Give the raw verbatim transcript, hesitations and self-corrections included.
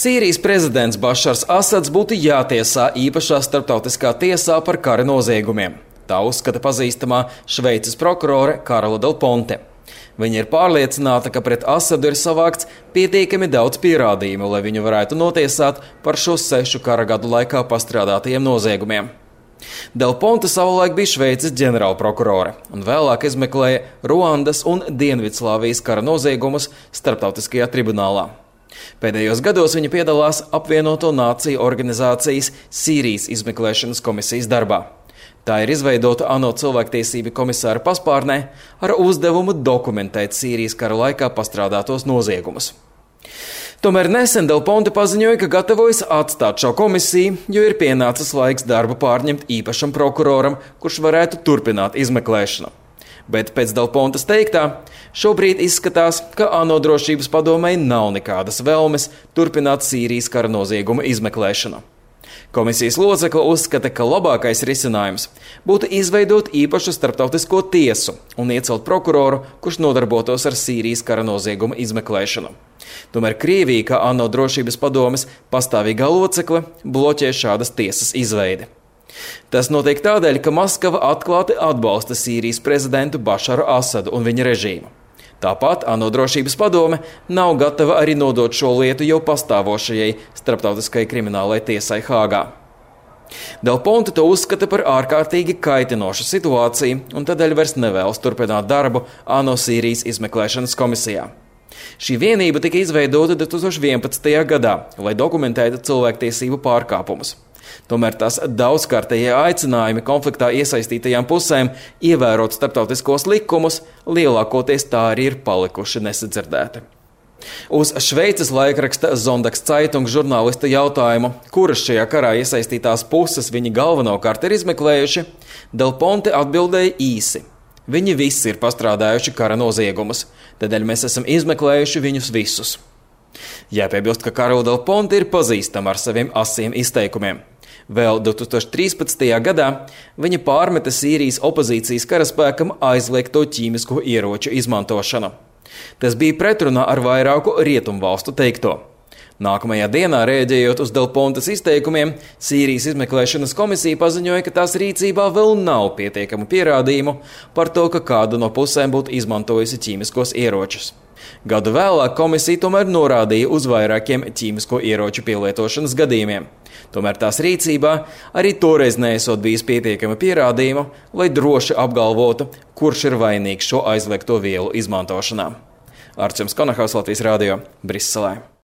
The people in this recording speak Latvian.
Sīrijas prezidents Bašars Asads būtu jātiesā īpašā starptautiskā tiesā par kara noziegumiem. Tā uzskata pazīstamā Šveices prokurore Karola Del Ponte. Viņa ir pārliecināta, ka pret Asadu ir savākts pietiekami daudz pierādījumu, lai viņu varētu notiesāt par šo sešu kara gadu laikā pastrādātajiem noziegumiem. Del Ponte savulaik bija Šveices ģenerālprokurore un vēlāk izmeklēja Ruandas un Dienvidslāvijas kara noziegumus starptautiskajā tribunālā. Pēdējos gados viņa piedalās apvienoto nāciju organizācijas Sīrijas izmeklēšanas komisijas darbā. Tā ir izveidota ANO cilvēktiesību komisāra paspārnē ar uzdevumu dokumentēt Sīrijas kara laikā pastrādātos noziegumus. Tomēr nesen Del Ponte paziņoja, ka gatavojas atstāt šo komisiju, jo ir pienācis laiks darbu pārņemt īpašam prokuroram, kurš varētu turpināt izmeklēšanu. Bet pēc Del Pontes teiktā, šobrīd izskatās, ka ANO drošības padomei nav nekādas vēlmes turpināt Sīrijas kara nozieguma izmeklēšanu. Komisijas locekle uzskata, ka labākais risinājums būtu izveidot īpašu starptautisko tiesu un iecelt prokuroru, kurš nodarbotos ar Sīrijas kara nozieguma izmeklēšanu. Tomēr Krievija, kā ANO drošības padomes pastāvīgā locekle, bloķē šādas tiesas izveidi. Tas notiek tādēļ, ka Maskava atklāti atbalsta Sīrijas prezidentu Bašaru Asadu un viņa režīmu. Tāpat ANO drošības padome nav gatava arī nodot šo lietu jau pastāvošajai starptautiskajai kriminālai tiesai Hāgā. Del Ponte to uzskata par ārkārtīgi kaitinošu situāciju un tādēļ vairs nevēlas turpināt darbu ANO Sīrijas izmeklēšanas komisijā. Šī vienība tika izveidota divi tūkstoši vienpadsmitajā gadā, lai dokumentētu cilvēktiesību pārkāpumus. Tomēr tās daudzkārtējie aicinājumi konfliktā iesaistītajām pusēm ievērot starptautiskos likumus lielākoties tā arī ir palikuši nesadzirdēti. Uz Šveices laikraksta Sonntags-Zeitung žurnālista jautājumu, kuras šajā karā iesaistītās puses viņi galvenokārt ir izmeklējuši, Del Ponte atbildēja īsi. Viņi visi ir pastrādājuši kara noziegumus, tādēļ mēs esam izmeklējuši viņus visus. Jāpiebilst, ka Karola Del Ponte ir pazīstama ar saviem asiem izteikumiem. Vēl divi tūkstoši trīspadsmitajā gadā viņa pārmeta Sīrijas opozīcijas karaspēkam aizliegto ķīmisko ieroču izmantošanu. Tas bija pretrunā ar vairāku rietumvalstu teikto. Nākamajā dienā, rēģējot uz Del Pontes izteikumiem, Sīrijas izmeklēšanas komisija paziņoja, ka tās rīcībā vēl nav pietiekamu pierādījumu par to, ka kāda no pusēm būtu izmantojusi ķīmiskos ieročus. Gadu vēlāk komisija tomēr norādīja uz vairākiem ķīmisko ieroču pielietošanas gadījumiem. Tomēr tās rīcībā arī toreiz neesot bijis pietiekami pierādījumu, lai droši apgalvotu, kurš ir vainīgs šo aizliegto vielu izmantošanā. Arčuns Konahaus, Latvijas radio, Briselē.